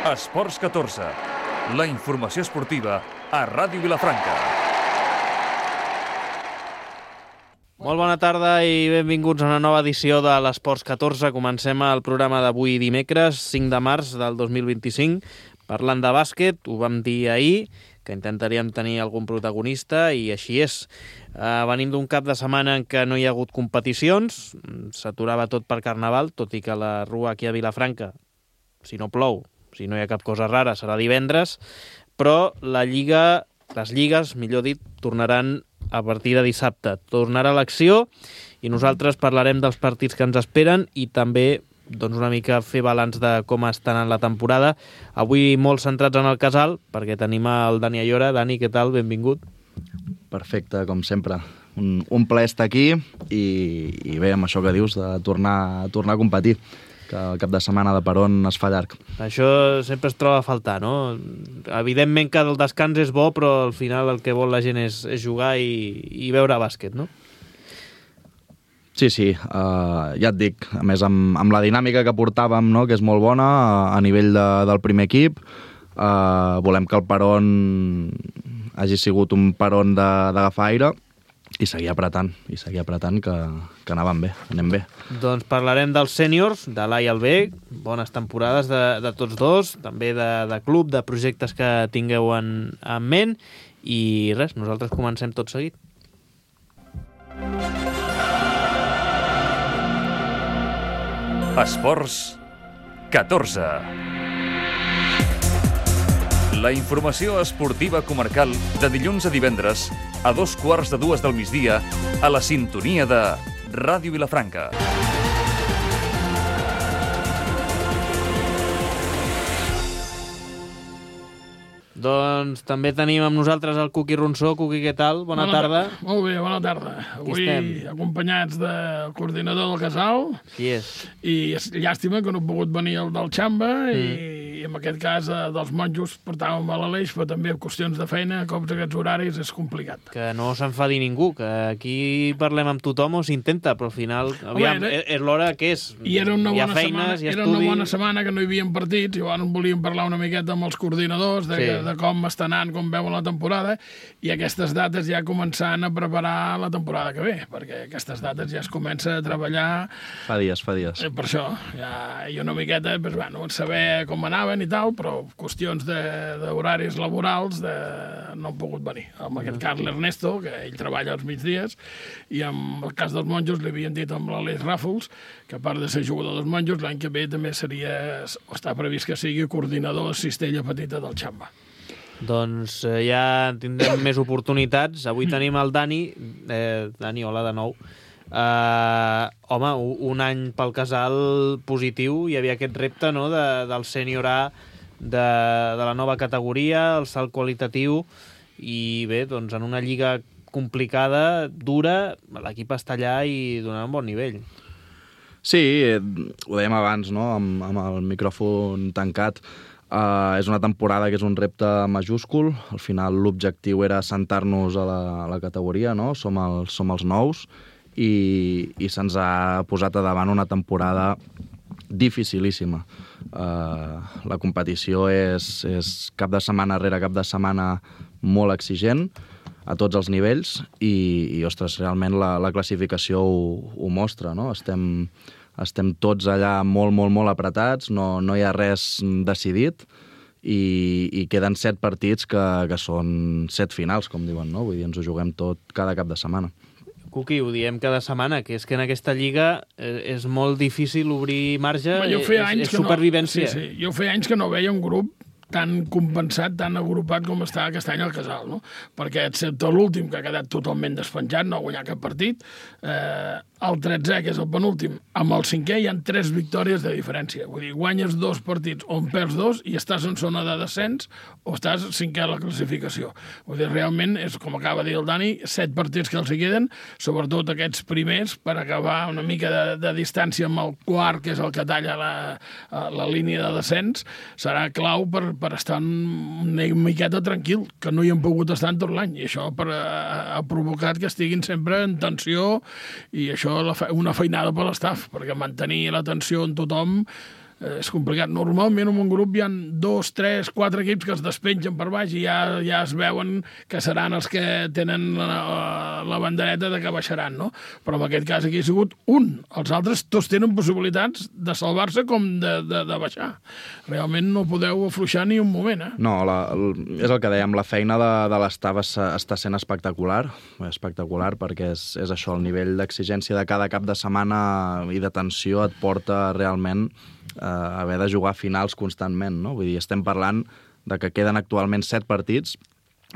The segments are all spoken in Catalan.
Esports 14, la informació esportiva a Ràdio Vilafranca. Molt bona tarda i benvinguts a una nova edició de l'Esports 14. Comencem el programa d'avui dimecres, 5 de març del 2025, parlant de bàsquet. Ho vam dir ahir, que intentaríem tenir algun protagonista, i així és. Venim d'un cap de setmana en què no hi ha hagut competicions, s'aturava tot per Carnaval, tot i que la rua aquí a Vilafranca, si no plou, si no hi ha cap cosa rara, serà divendres, però les lligues, millor dit, tornaran a partir de dissabte. Tornarà l'acció i nosaltres parlarem dels partits que ens esperen i també una mica fer balanç de com estan en la temporada. Avui molt centrats en el Casal, perquè tenim el Dani Ayora. Dani, què tal? Benvingut. Perfecte, com sempre. Un plaer estar aquí i bé, amb això que dius, de tornar a competir, que el cap de setmana de peron es fa llarg. Això sempre es troba a faltar, no? Evidentment que el descans és bo, però al final el que vol la gent és jugar i veure bàsquet, no? Sí, ja et dic, a més amb la dinàmica que portàvem, no?, que és molt bona a nivell del primer equip, volem que el peron hagi sigut un peron d'agafar aire i seguir apretant, que anàvem bé, anem bé. Doncs parlarem dels sèniors, de l'A i el B, bones temporades de tots dos, també de club, de projectes que tingueu en ment, i res, nosaltres comencem tot seguit. Esports 14. La informació esportiva comarcal de dilluns a divendres a 2:15 del migdia a la sintonia de Ràdio Vilafranca. Doncs també tenim amb nosaltres el Cuqui Ronsó. Cuqui, què tal? Bona tarda. Molt bé, bona tarda. Avui acompanyats del coordinador del Casal. Qui és? I és llàstima que no ha pogut venir el del Xamba i en aquest cas dels monjos portàvem a l'Aleix, però també en qüestions de feina, cops aquests horaris, és complicat. Que no s'enfadi ningú, que aquí parlem amb tothom o s'intenta, però al final, aviam, és l'hora que és. I era una hi ha bona feines, setmana, hi ha era estudi. una bona setmana que no hi havia partits, i llavors volíem parlar una miqueta amb els coordinadors de com està anant, com veuen la temporada, i aquestes dates ja començant a preparar la temporada que ve, perquè aquestes dates ja es comença a treballar. Fa dies. Per això, ja, i una miqueta, doncs, bueno, saber com anaven i tal, però qüestions d'horaris laborals no han pogut venir. En aquest cas l'Ernesto, que ell treballa als migdies, i en el cas dels monjos li havien dit amb l'Aleix Ràfols, que a part de ser jugador dels monjos, l'any que ve també està previst que sigui coordinador de Cistella Petita del Xamba. Doncs ja tindrem més oportunitats. Avui tenim el Dani. Dani, hola de nou. Home, un any pel Casal positiu. Hi havia aquest repte, no?, del sènior A, de la nova categoria, el salt qualitatiu, i bé, doncs en una lliga complicada, dura, l'equip està allà i donant un bon nivell. Sí, ho dèiem abans, no?, amb el micròfon tancat. És una temporada que és un repte majúscul. Al final l'objectiu era assentar-nos a la categoria, no? Som els nous i se'ns ha posat a davant una temporada dificilíssima. La competició és cap de setmana rere cap de setmana molt exigent a tots els nivells i ostres, realment la classificació ho mostra, no? Estem tots allà molt apretats, no hi ha res decidit i queden 7 partits que són 7 finals, com diuen, no? Vull dir, ens ho juguem tot cada cap de setmana. Cuqui, ho diem cada setmana, que és que en aquesta lliga és molt difícil obrir marge, és supervivència. Sí, jo feia anys que no veia un grup tan compensat, tan agrupat com està aquest any al Casal, no? Perquè excepte l'últim, que ha quedat totalment despenjat, no ha guanyat cap partit, el 13è, que és el penúltim, amb el 5è hi ha 3 victòries de diferència. Vull dir, guanyes 2 partits o en perds 2 i estàs en zona de descens o estàs 5è a la classificació. Vull dir, realment, és com acaba de dir el Dani, 7 partits que els hi queden, sobretot aquests primers, per acabar una mica de distància amb el quart, que és el que talla la línia de descens, serà clau per estar una miqueta tranquil, que no hi han pogut estar en tot l'any, i això ha provocat que estiguin sempre en tensió, i això una feinada per l'estaf, perquè mantenir la tensió en tothom és complicat. Normalment en un grup hi ha 2, 3, 4 equips que es despengen per baix i ja es veuen que seran els que tenen la bandereta de que baixaran, no? Però en aquest cas aquí ha sigut un. Els altres tots tenen possibilitats de salvar-se com de baixar. Realment no podeu afluixar ni un moment, No, és el que dèiem, la feina de l'estaf està sent espectacular perquè és això, el nivell d'exigència de cada cap de setmana i de tensió et porta realment haver de jugar finals constantment, no? Vull dir, estem parlant de que queden actualment 7 partits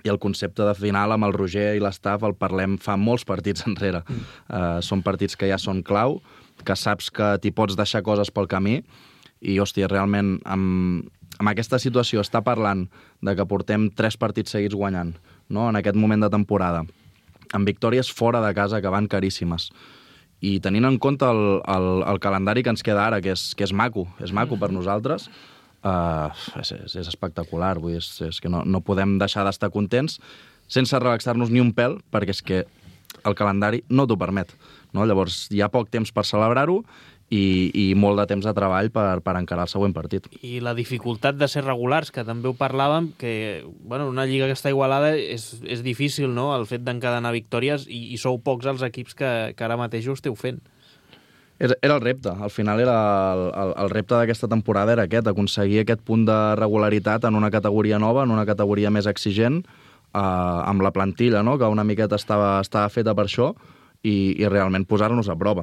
i el concepte de final amb el Roger i l'estaf el parlem fa molts partits enrere. Són partits que ja són clau, que saps que t'hi pots deixar coses pel camí i, hòstia, realment amb aquesta situació està parlant de que portem 3 partits seguits guanyant, no? En aquest moment de temporada, amb victòries fora de casa que van caríssimes. I tenint en compte el calendari que ens queda ara, que és maco per nosaltres, és espectacular. Vull dir, és que no podem deixar d'estar contents sense relaxar-nos ni un pèl, perquè és que el calendari no t'ho permet, no? Llavors, hi ha poc temps per celebrar-ho i molt de temps de treball per encarar el següent partit. I la dificultat de ser regulars, que també ho parlàvem, que una lliga que està igualada és difícil, no?, el fet d'encadenar victòries, i sou pocs els equips que ara mateix ho esteu fent. Era el repte. Al final el repte d'aquesta temporada era aquest, aconseguir aquest punt de regularitat en una categoria nova, en una categoria més exigent, amb la plantilla, no?, que una miqueta estava feta per això, i realment posar-nos a prova.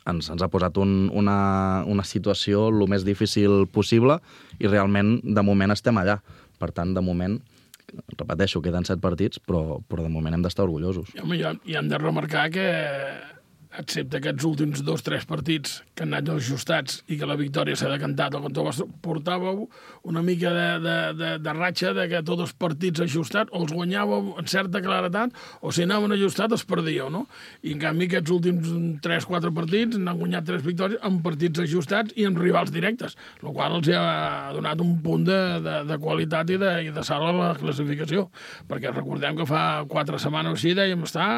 Ens ha posat una situació el més difícil possible i realment, de moment, estem allà. Per tant, de moment, repeteixo, queden 7 partits, però de moment hem d'estar orgullosos. I hem de remarcar que, excepte aquests últims 2 o 3 partits que han anat ajustats i que la victòria s'ha decantat al cantó vostre, portàveu una mica de ratxa de que tots els partits ajustats o els guanyàveu en certa claretat o si anaven ajustats els perdíeu, no? I en canvi aquests últims 3-4 partits n'han guanyat 3 victòries amb partits ajustats i amb rivals directes, el qual els ha donat un punt de qualitat i de salt a la classificació, perquè recordem que fa 4 setmanes o així dèiem estar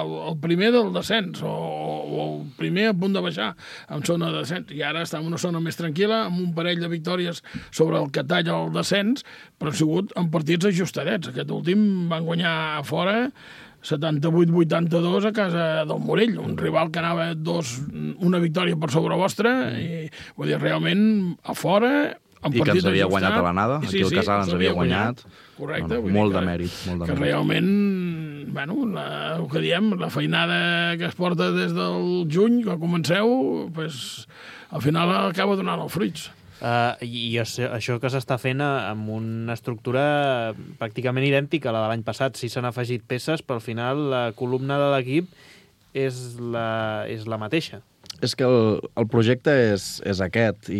el primer del descens o el primer a punt de baixar en zona de descens, i ara està en una zona més tranquil·la, amb un parell de victòries sobre el que talla el descens, però han sigut en partits ajustadets. Aquest últim van guanyar a fora 78-82 a casa del Morell, un rival que anava una victòria per sobre vostra, i vull dir, realment a fora... I que ens havia guanyat a l'anada, aquí el Casal ens havia guanyat. Correcte. Molt de mèrit. Que realment, el que diem, la feinada que es porta des del juny, que comenceu, al final acaba donant els fruits. I això que s'està fent amb una estructura pràcticament idèntica a la de l'any passat. Sí s'han afegit peces, però al final la columna de l'equip és la mateixa. És que el projecte és aquest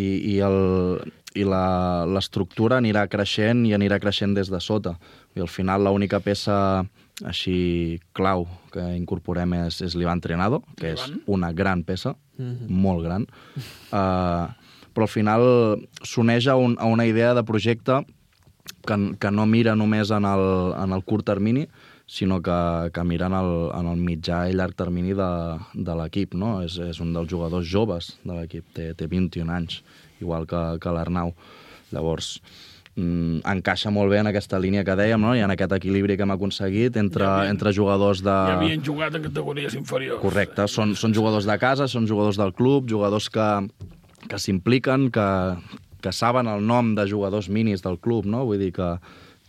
i l'estructura anirà creixent i anirà creixent des de sota. I al final l'única peça així clau que incorporem és l'Ivan Trenado, que és una gran peça, molt gran, però al final s'uneix a una idea de projecte que no mira només en el curt termini, sinó que mira en el mitjà i llarg termini de l'equip, no? És un dels jugadors joves de l'equip, té 21 anys, igual que l'Arnau. Llavors, encaixa molt bé en aquesta línia que dèiem, no? I en aquest equilibri que hem aconseguit entre jugadors de... Ja havien jugat en categories inferiors. Correcte, són jugadors de casa, són jugadors del club, jugadors que s'impliquen, que saben el nom de jugadors minis del club, no? Vull dir que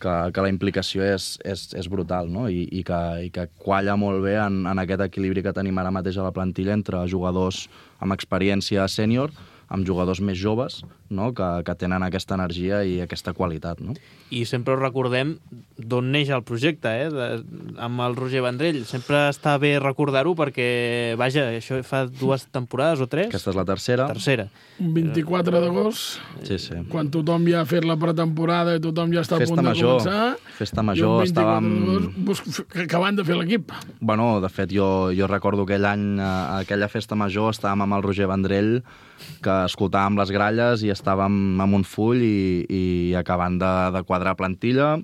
la implicació és brutal, no? I que qualla molt bé en aquest equilibri que tenim ara mateix a la plantilla entre jugadors amb experiència sènior, amb jugadors més joves, no? que tenen aquesta energia i aquesta qualitat. No? I sempre ho recordem d'on neix el projecte, amb el Roger Vendrell. Sempre està bé recordar-ho perquè, vaja, això fa 2 temporades o 3. Aquesta és la tercera. 24 d'agost, sí. Quan tothom ja ha fet la pretemporada i tothom ja està a punt de començar. Festa major, estàvem... acabant de fer l'equip. Bueno, de fet, jo recordo aquell any, aquella festa major, estàvem amb el Roger Vendrell, que escoltàvem les gralles i estàvem amb un full i acabant de quadrar plantilla,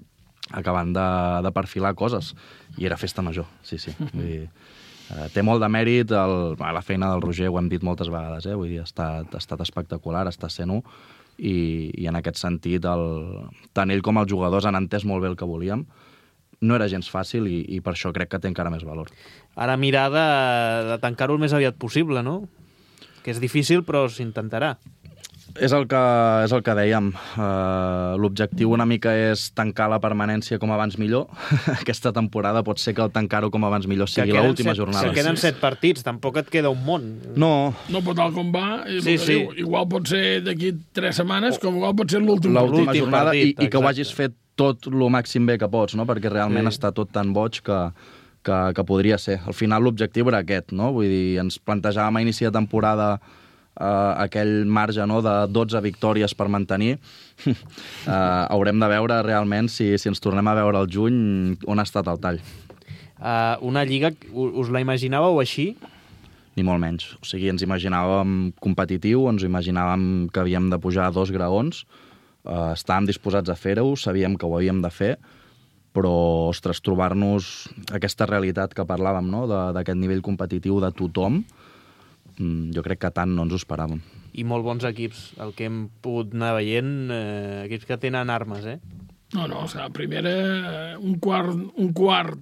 acabant de perfilar coses. I era festa major, sí. Té molt de mèrit la feina del Roger, ho hem dit moltes vegades, vull dir, ha estat espectacular, està sent-ho, i en aquest sentit tant ell com els jugadors han entès molt bé el que volíem. No era gens fàcil i per això crec que té encara més valor. Ara mirar de tancar-ho el més aviat possible, no? Que és difícil, però s'intentarà. És el que dèiem. L'objectiu una mica és tancar la permanència com abans millor. Aquesta temporada pot ser que el tancar-ho com abans millor sigui l'última jornada. Que queden 7 partits, tampoc et queda un món. No. No, però tal com va, sí. Igual pot ser d'aquí 3 setmanes, com igual pot ser l'última jornada partit, i que ho hagis fet tot el màxim bé que pots, no? Perquè realment està tot tan boig que podria ser. Al final l'objectiu era aquest, no? Vull dir, ens plantejàvem a inici de temporada aquell marge, no?, de 12 victòries per mantenir. Haurem de veure realment, si ens tornem a veure al juny, on ha estat el tall. Una lliga, us la imaginàveu així? Ni molt menys. O sigui, ens imaginàvem competitiu, ens imaginàvem que havíem de pujar 2 graons, estàvem disposats a fer-ho, sabíem que ho havíem de fer, però, ostres, trobar-nos aquesta realitat que parlàvem, no?, d'aquest nivell competitiu de tothom, jo crec que tant no ens ho esperàvem. I molt bons equips, el que hem pogut anar veient, equips que tenen armes, No, o sigui, primera, un quart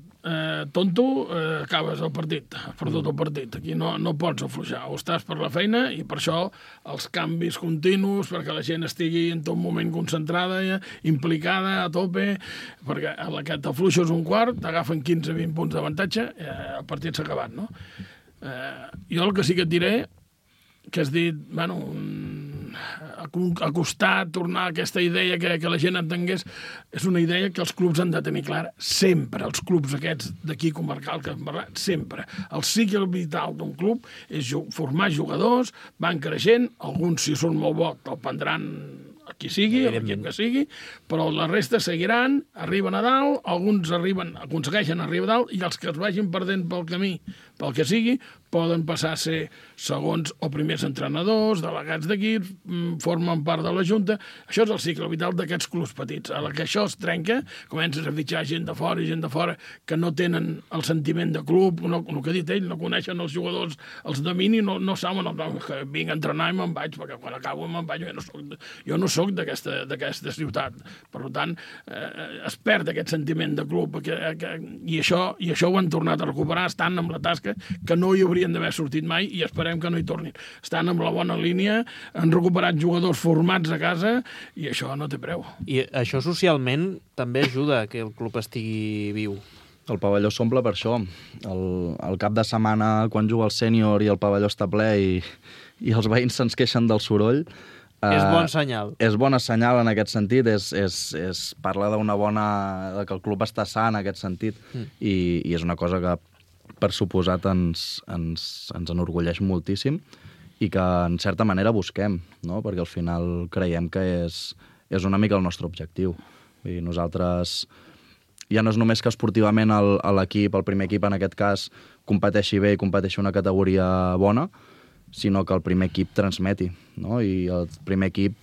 tonto, acabes el partit, has perdut el partit. Aquí no pots afluixar, o estàs per la feina, i per això els canvis continus, perquè la gent estigui en tot moment concentrada, implicada, a tope, perquè a la que t'afluixes un quart, t'agafen 15-20 punts d'avantatge, el partit s'ha acabat, no? Jo el que sí que et diré, que has dit, acostar, tornar a aquesta idea que la gent entengués, és una idea que els clubs han de tenir clara sempre, els clubs aquests d'aquí comarcal que hem parlat, sempre. El cicle vital d'un club és formar jugadors, van creixent, alguns si són molt bons el prendran a qui sigui, a l'equip que sigui, però la resta seguiran, arriben a dalt, alguns aconsegueixen arribar a dalt, i els que es vagin perdent pel camí, pel que sigui, poden passar a ser segons o primers entrenadors, delegats d'equips, formen part de la Junta. Això és el cicle vital d'aquests clubs petits. A la que això es trenca, comences a fitxar gent de fora que no tenen el sentiment de club, el que ha dit ell, no coneixen els jugadors, els domini, no saben que vinc a entrenar i me'n vaig, perquè quan acabo me'n vaig, jo no soc d'aquesta ciutat. Per tant, es perd aquest sentiment de club, i això ho han tornat a recuperar, estan amb la tasca que no hi haurien d'haver sortit mai, i esperem que no hi tornin. Estan amb la bona línia, han recuperat jugadors formats a casa, i això no té preu. I això socialment també ajuda que el club estigui viu. El pavelló s'omple per això. El cap de setmana, quan juga el sènior i el pavelló està ple i els veïns se'ns queixen del soroll, és bon senyal. És bona senyal en aquest sentit, parla de que el club està sa en aquest sentit, i és una cosa que per suposat ens enorgulleix moltíssim i que en certa manera busquem, no? Perquè al final creiem que és una mica el nostre objectiu. Vull dir, nosaltres ja no és només que esportivament l'equip, el primer equip en aquest cas, competeixi bé i competeixi una categoria bona, sinó que el primer equip transmeti, no? I el primer equip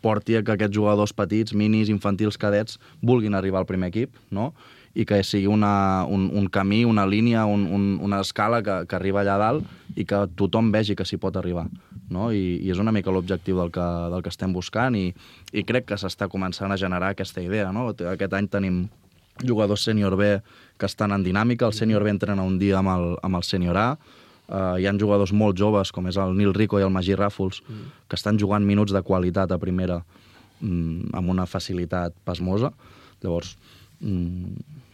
porti a que aquests jugadors petits, minis, infantils, cadets, vulguin arribar al primer equip, no? I que sigui un camí, una línia, una escala que arriba allà dalt i que tothom vegi que s'hi pot arribar, no? I és una mica l'objectiu del que estem buscant, i crec que s'està començant a generar aquesta idea, no? Aquest any tenim jugadors sènior B que estan en dinàmica, el sènior B entrena un dia amb el sènior A, hi ha jugadors molt joves, com és el Nil Rico i el Magí Ràfols, que estan jugant minuts de qualitat a primera amb una facilitat pasmosa. Llavors,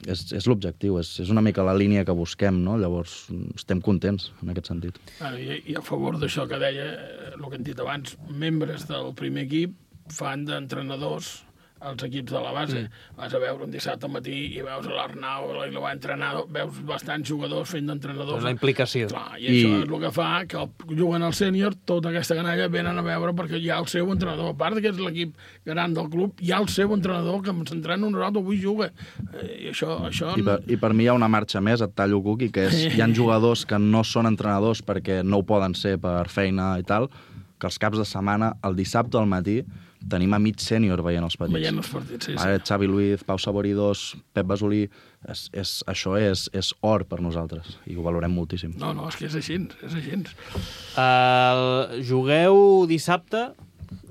és l'objectiu, és una mica la línia que busquem, no? Llavors estem contents en aquest sentit. I a favor d'això que deia, el que hem dit abans, membres del primer equip fan d'entrenadors als equips de la base. Vas a veure un dissabte al matí i veus l'Arnau i la entrenador, veus bastants jugadors fent d'entrenadors. És la implicació. Clar, i això és el que fa que juguen al sènior, tota aquesta canalla venen a veure perquè hi ha el seu entrenador. A part que és l'equip gran del club, hi ha el seu entrenador que s'entrena un rato, avui juga. I això... I per mi hi ha una marxa més, et tallo, Cuqui, que hi ha jugadors que no són entrenadors perquè no ho poden ser per feina i tal, que els caps de setmana, el dissabte al matí, tenim a mig sènior veient els partits. Veient els partits, sí. Xavi Luiz, Pau Saboridós, Pep Basolí, això és or per nosaltres i ho valorem moltíssim. No, és que és així, és així. Jugueu dissabte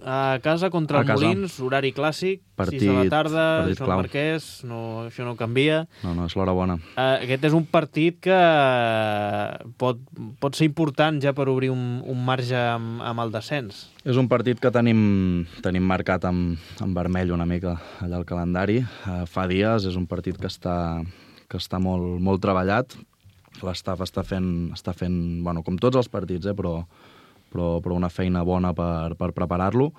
a casa contra el Molins, horari clàssic, 6 de la tarda, Sant Marquès, això no canvia. No, és l'hora bona. Aquest és un partit que pot ser important ja per obrir un marge amb el descens. És un partit que tenim marcat en vermell una mica allà al calendari. Fa dies, és un partit que està molt treballat. L'estaf està fent, bueno, com tots els partits, però una feina bona per preparar-lo.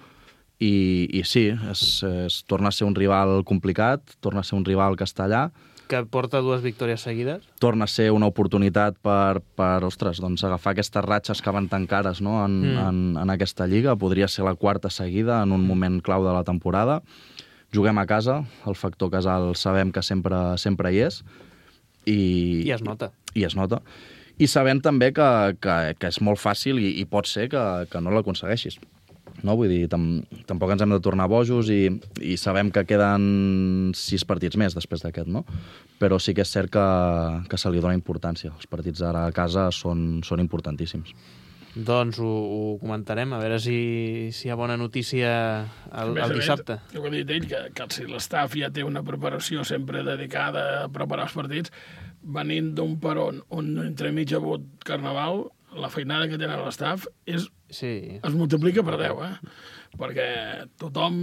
I sí, torna a ser un rival complicat, torna a ser un rival que està allà. Que porta 2 victòries seguides. Torna a ser una oportunitat per agafar aquestes ratxes que van tan cares, no, en aquesta lliga. Podria ser la 4ª seguida en un moment clau de la temporada. Juguem a casa, el factor casal sabem que sempre hi és. I es nota. I sabent també que és molt fàcil i pot ser que no l'aconsegueixis. No? Vull dir, tampoc ens hem de tornar bojos i sabem que queden 6 partits més després d'aquest, no? Però sí que és cert que se li dona importància. Els partits ara a casa són importantíssims. Doncs ho comentarem, a veure si hi ha bona notícia el dissabte. Jo he dit ell que si l'estaf ja té una preparació sempre dedicada a preparar els partits, venint d'un peron on entremig ha hagut carnaval, la feinada que tenen l'estaf es multiplica per 10, perquè tothom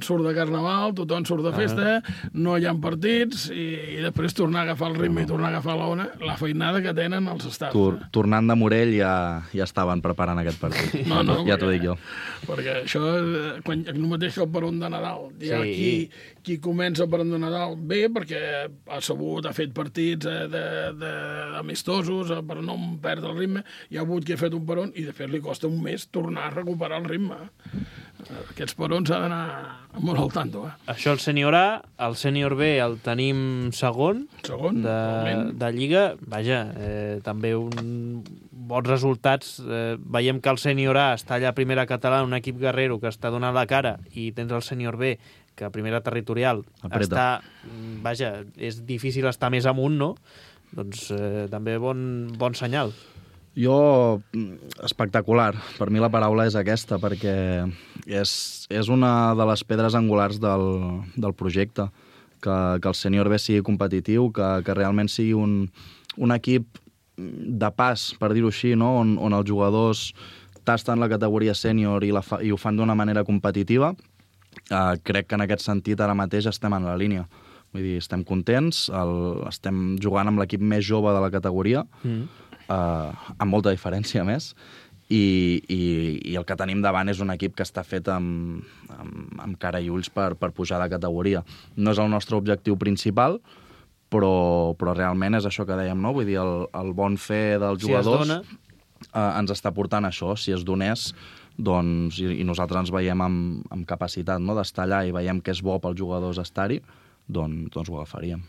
surt de carnaval, tothom surt de festa, no hi ha partits, i després tornar a agafar el ritme i tornar a agafar l'ona, la feinada que tenen els estafs. Tornant de Morell ja estaven preparant aquest partit. No, ja t'ho dic jo. Perquè això, el mateix que el peron de Nadal. Hi ha qui comença el peron de Nadal bé, perquè ha sabut, ha fet partits amistosos per no perdre el ritme, hi ha hagut qui ha fet un peron i després li costa un mes tornar a recuperar el ritme. Aquests perons s'ha d'anar molt al tanto. Això el sènior A, el sènior B el tenim segon de Lliga. Vaja, també bons resultats. Veiem que el sènior A està allà a primera catalana, un equip guerrero que està donant la cara, i tens el sènior B, que a primera territorial està... Vaja, és difícil estar més amunt, no? Doncs també bon senyal. Jo, espectacular. Per mi la paraula és aquesta, perquè és una de les pedres angulars del projecte, que el sènior B sigui competitiu, que realment sigui un equip de pas, per dir-ho així, no? on els jugadors tasten la categoria sènior i ho fan d'una manera competitiva. Crec que en aquest sentit ara mateix estem en la línia. Vull dir, estem contents, estem jugant amb l'equip més jove de la categoria, amb molta diferència més, i el que tenim davant és un equip que està fet amb cara i ulls per pujar de categoria. No és el nostre objectiu principal, però realment és això que dèiem, no? Vull dir, el bon fer dels jugadors ens està portant això. Si es donés, doncs, i nosaltres ens veiem amb capacitat, no?, d'estar allà i veiem que és bo pels jugadors estar-hi, doncs ho agafaríem.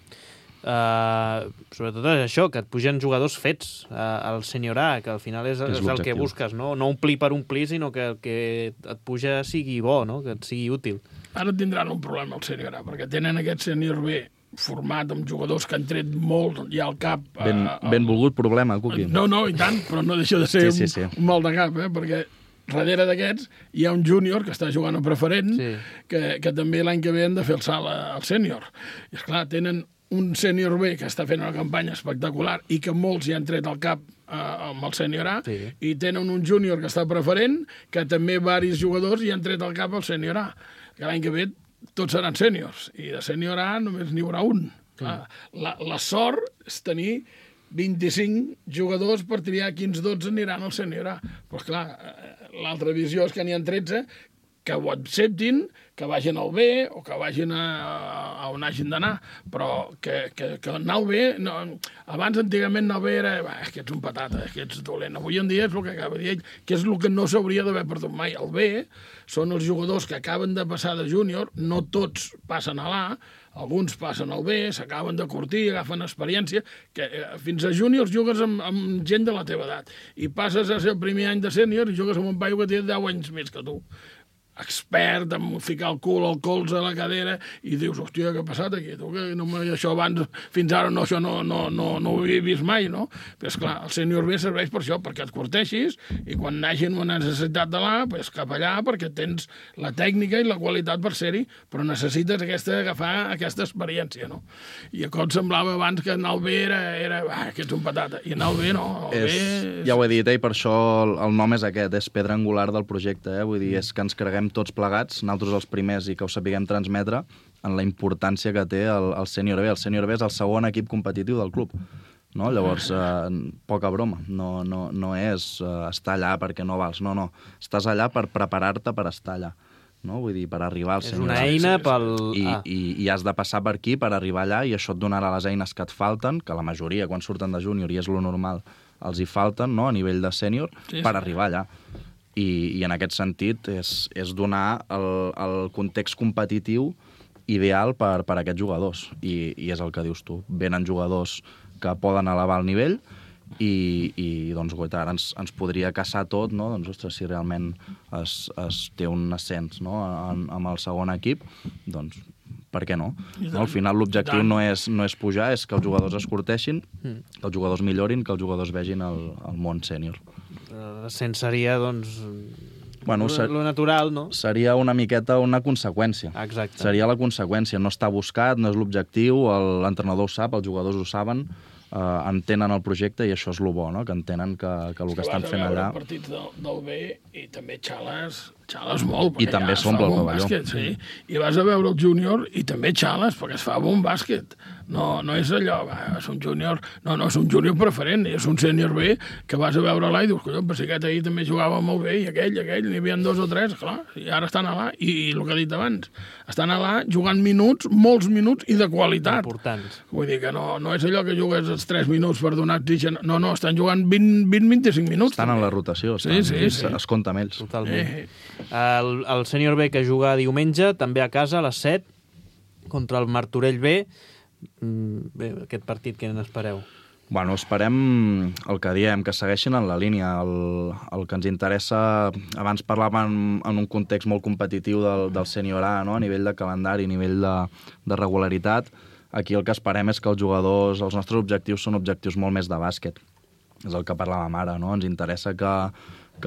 Sobretot és això, que et pugen jugadors fets al sènior A, que al final és el que busques, no omplir per omplir, sinó que el que et puja sigui bo, no? Que et sigui útil. Ara tindran un problema el sènior A, perquè tenen aquest sènior B format amb jugadors que han tret molt ja al cap. Ben volgut problema, Cuqui. No, i tant, però no deixa de ser un mal de cap, perquè darrere d'aquests hi ha un júnior que està jugant a preferent, que també l'any que ve han de fer el salt al sènior. I esclar, tenen un sènior B que està fent una campanya espectacular i que molts hi han tret al cap amb el sènior A, i tenen un júnior que està preferent, que també varis jugadors hi han tret al cap al sènior A. Que l'any que ve tots seran sèniors, i de sènior A només n'hi haurà un. La sort és tenir 25 jugadors per triar quins 12 aniran al sènior A. Però, clar, l'altra visió és que n'hi ha 13 que ho acceptin, que vagin al B o que vagin a on hagin d'anar, però que anar al B... Abans, antigament, anar al B era que ets un patata, que ets dolent. Avui en dia és el que acaba de dir ell, que és el que no s'hauria d'haver perdut mai. El B són els jugadors que acaben de passar de júnior, no tots passen a l'A, alguns passen al B, s'acaben de curtir, agafen experiència, que fins a júniors jugues amb gent de la teva edat, i passes a ser el primer any de sènior i jugues amb un paio que té 10 anys més que tu. expert en ficar el cul al colze a la cadera i dius, hòstia, què ha passat aquí? Tu, que això abans, fins ara això no ho havia vist mai, no? Però, esclar, el sènior B serveix per això, perquè et corteixis i quan hagin una necessitat de pues, cap allà, perquè tens la tècnica i la qualitat per ser-hi, però necessites agafar aquesta experiència, no? I a com semblava abans que anar al B era que ets un patata, i anar al B no. Ja ho he dit, i per això el nom és aquest, és pedra angular del projecte, vull dir, és que ens creguem tots plegats, nosaltres els primers, i que ho sapiguem transmetre en la importància que té el sènior B. El sènior B és el segon equip competitiu del club. No? Llavors, poca broma. No és estar allà perquè no vals. No. Estàs allà per preparar-te per estar allà. No? Vull dir, per arribar al sènior B. És una eina pel... I has de passar per aquí per arribar allà i això et donarà les eines que et falten, que la majoria, quan surten de júnior, i és lo normal, els hi falten, no? A nivell de sènior, per arribar allà. I en aquest sentit és donar el context competitiu ideal per a aquests jugadors. I és el que dius tu. Venen jugadors que poden elevar el nivell i doncs, ara ens podria caçar tot, no? Doncs, ostres, si realment es té un ascens, no? amb el segon equip, doncs per què no? Al final l'objectiu no és pujar, és que els jugadors es corteixin, que els jugadors millorin, que els jugadors vegin el món sènior. L'ascens seria, doncs, lo natural, no? Seria una miqueta una conseqüència. Exacte. Seria la conseqüència. No està buscat, no és l'objectiu, l'entrenador ho sap, els jugadors ho saben, entenen el projecte i això és el bo, no? Que entenen que el que estan fent allà... Vas a veure partits del B i també xales molt. I també s'omple el pavelló. Bàsquet, sí. I vas a veure el júnior i també xales, perquè es fa bon bàsquet. No és allò, és un júnior... No, és un júnior preferent, és un sènior B que vas a veure allà i dius, collons, però si aquest ahir també jugava molt bé i aquell, n'hi havia 2 o 3, clar, i ara estan allà, i el que he dit abans, estan allà jugant minuts, molts minuts i de qualitat. Importants. Vull dir que no és allò que jugues els 3 minuts per donar oxigen. No, estan jugant 20-25 minuts. Estan en la rotació, es compta amb ells. Totalment. El sènior B que juga diumenge, també a casa, a les 7, contra el Martorell B. Bé, aquest partit, què n'espereu? Bueno, esperem el que diem, que segueixin en la línia. El que ens interessa, abans parlàvem en un context molt competitiu del sènior A, no? A nivell de calendari, a nivell de regularitat. Aquí el que esperem és que els jugadors, els nostres objectius són objectius molt més de bàsquet. És el que parlàvem ara, no? Ens interessa que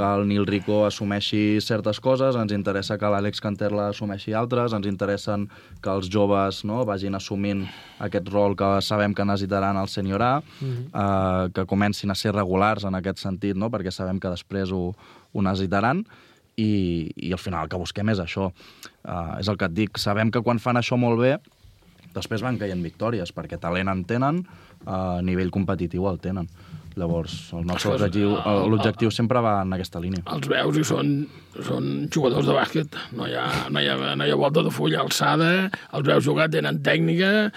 el Nil Rico assumeixi certes coses, ens interessa que l'Àlex Canterla assumeixi altres, ens interessen que els joves, no, vagin assumint aquest rol que sabem que necessitaran al sènior A, que comencin a ser regulars en aquest sentit, no? Perquè sabem que després ho necessitaran, i al final el que busquem és això. És el que et dic, sabem que quan fan això molt bé, després van caient victòries, perquè talent en tenen, a nivell competitiu el tenen. Llavors, el nostre l'objectiu sempre va en aquesta línia. Els veus i són jugadors de bàsquet. No hi ha volta de full, alçada, els veus jugar, tenen tècnica...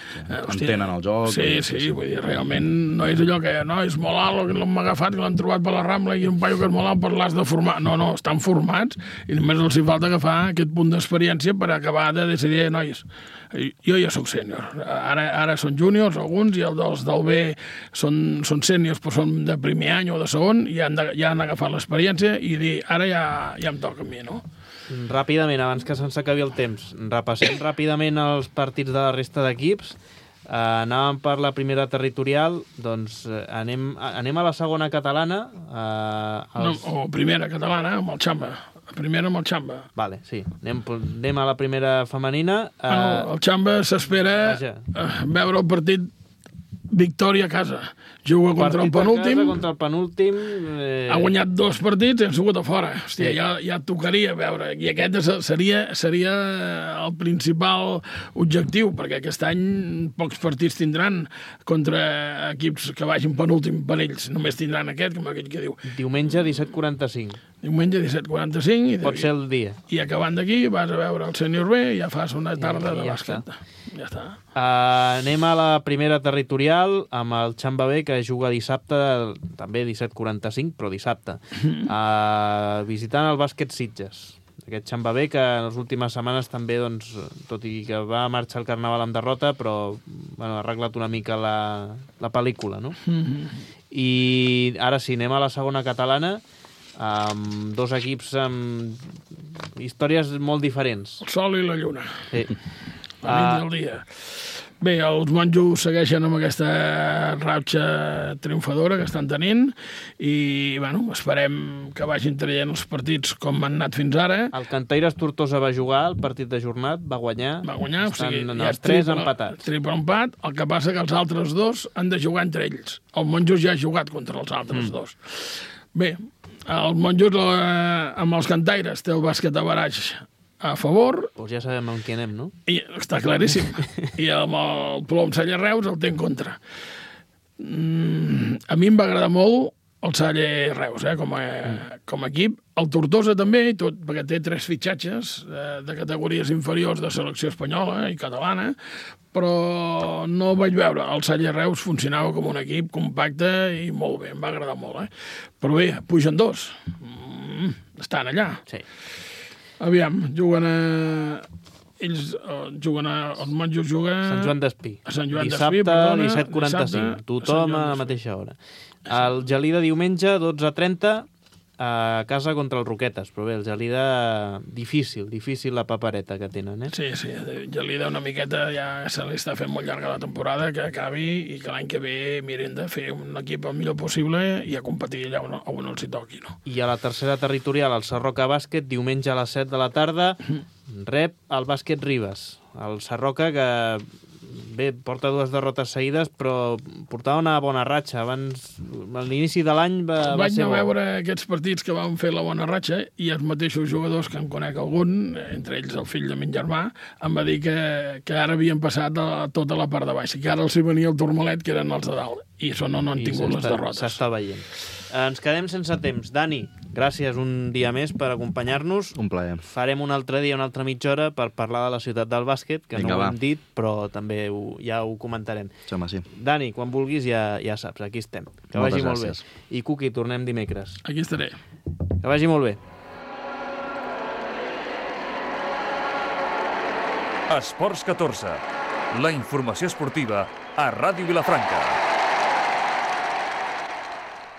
Entenen el joc. Sí, vull dir, realment no és allò que és molt alt, que l'hem agafat, que l'han trobat per la Rambla i un paio que és molt alt per l'has de formar. No, estan formats i només els hi falta agafar aquest punt d'experiència per acabar de decidir, nois, jo ja soc sènior. Ara són júniors, alguns, i els del B són sèniors, però són de primer any o de segon, i ja han agafat l'experiència i dir, ara ja em toca a mi, no? Ràpidament, abans que se'ns acabi el temps, repassem ràpidament els partits de la resta d'equips. Anàvem per la primera territorial, doncs anem a la segona catalana. O primera catalana, amb el Xamba. Primera amb el Xamba. Vale, sí. Anem a la primera femenina. El Xamba s'espera veure el partit victòria a casa. Juga contra el penúltim. Ha guanyat 2 partits i han sigut a fora. Hòstia, ja tocaria veure. I aquest seria el principal objectiu, perquè aquest any pocs partits tindran contra equips que vagin penúltim per ells. Només tindran aquest, com aquell que diu. Diumenge 17:45. Diumenge 17:45. Pot ser el dia. I acabant d'aquí vas a veure el sènior B i ja fas una tarda de bàsquet. Ja està. Anem a la primera territorial amb el Xamba B, que juga dissabte, també 17:45, però dissabte, visitant el Bàsquet Sitges. Aquest Xamba B, que en les últimes setmanes també, doncs, tot i que va marxar al Carnaval amb derrota, però ha arreglat una mica la pel·lícula, no? I ara sí, anem a la segona catalana, amb 2 equips amb històries molt diferents. El sol i la lluna. Sí. La nit i el dia. Bé, els monjos segueixen amb aquesta ratxa triomfadora que estan tenint i, bueno, esperem que vagin traient els partits com han anat fins ara. El Cantaires Tortosa va jugar el partit de jornat, va guanyar. Va guanyar, o sigui, estan ja els 3 empatats. Triple empat, el que passa que els altres dos han de jugar entre ells. El monjos ja ha jugat contra els altres dos. Bé, els monjos amb els Cantaires té el bàsquet a baraix a favor. Doncs ja sabem on qui anem, no? I està claríssim. I amb el Plom Saller Reus el té en contra. A mi em va agradar molt el Saller Reus, com a equip. El Tortosa també, tot, perquè té 3 fitxatges de categories inferiors de selecció espanyola i catalana, però no vaig veure. El Saller Reus funcionava com un equip compacte i molt bé, em va agradar molt. Però bé, pugen 2. Estan allà. Sí. Aviam, juguen ells juguen els monjos juguen... Sant Joan d'Espí. A Sant Joan Dissabte, d'Espí, perdona. 17:45. Tothom a la mateixa hora. El Gelida diumenge, 12:30, a casa contra el Roquetes. Però bé, el Gelida, difícil la papereta que tenen, Sí, Gelida una miqueta ja se li està fent molt llarga la temporada, que acabi i que l'any que ve miren de fer un equip el millor possible i a competir allà on els hi toqui, no? I a la tercera territorial, el Sarroca Bàsquet, diumenge a les 7 de la tarda, rep el Bàsquet Ribes. El Sarroca, que bé, porta 2 derrotes seguides, però portava una bona ratxa. Abans, a l'inici de l'any va ser bo. Vaig anar a veure aquests partits que van fer la bona ratxa i els mateixos jugadors que en conec algun, entre ells el fill de min germà, em va dir que ara havien passat tota la part de baix, que ara els hi venia el turmalet, que eren els de dalt, i això no han tingut les derrotes. S'està veient. Ens quedem sense temps. Dani, gràcies un dia més per acompanyar-nos. Un plaer. Farem un altre dia, una altra mitja hora, per parlar de la ciutat del bàsquet, que no ho hem dit, però també ja ho comentarem. Sí. Dani, quan vulguis ja saps, aquí estem. Que vagi molt bé. I Cuqui, tornem dimecres. Aquí estaré. Que vagi molt bé. Esports 14. La informació esportiva a Ràdio Vilafranca.